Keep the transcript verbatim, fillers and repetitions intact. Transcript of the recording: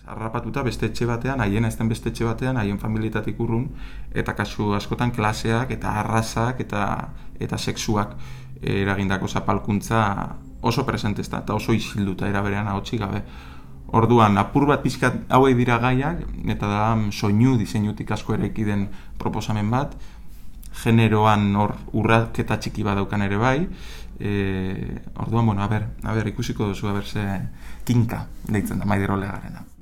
harrapatuta beste etxe batean, haien ezten beste etxe batean, haien familietatik urrun, eta kasu askotan klaseak, eta arrazak, eta, eta sexuak eragindako zapalkuntza oso presentezta, eta oso isilduta eraberean ahotsik gabe. Orduan, apur bat pixkat hauek dira gaiak, eta da soinu diseinutik asko eraiki den proposamen bat, generoan hor urraketa txiki bat daukan ere bai, e, orduan, bueno, a ber, a ber, ikusiko duzu, a ber, ze kinka deitzen da Maider Oleagarena.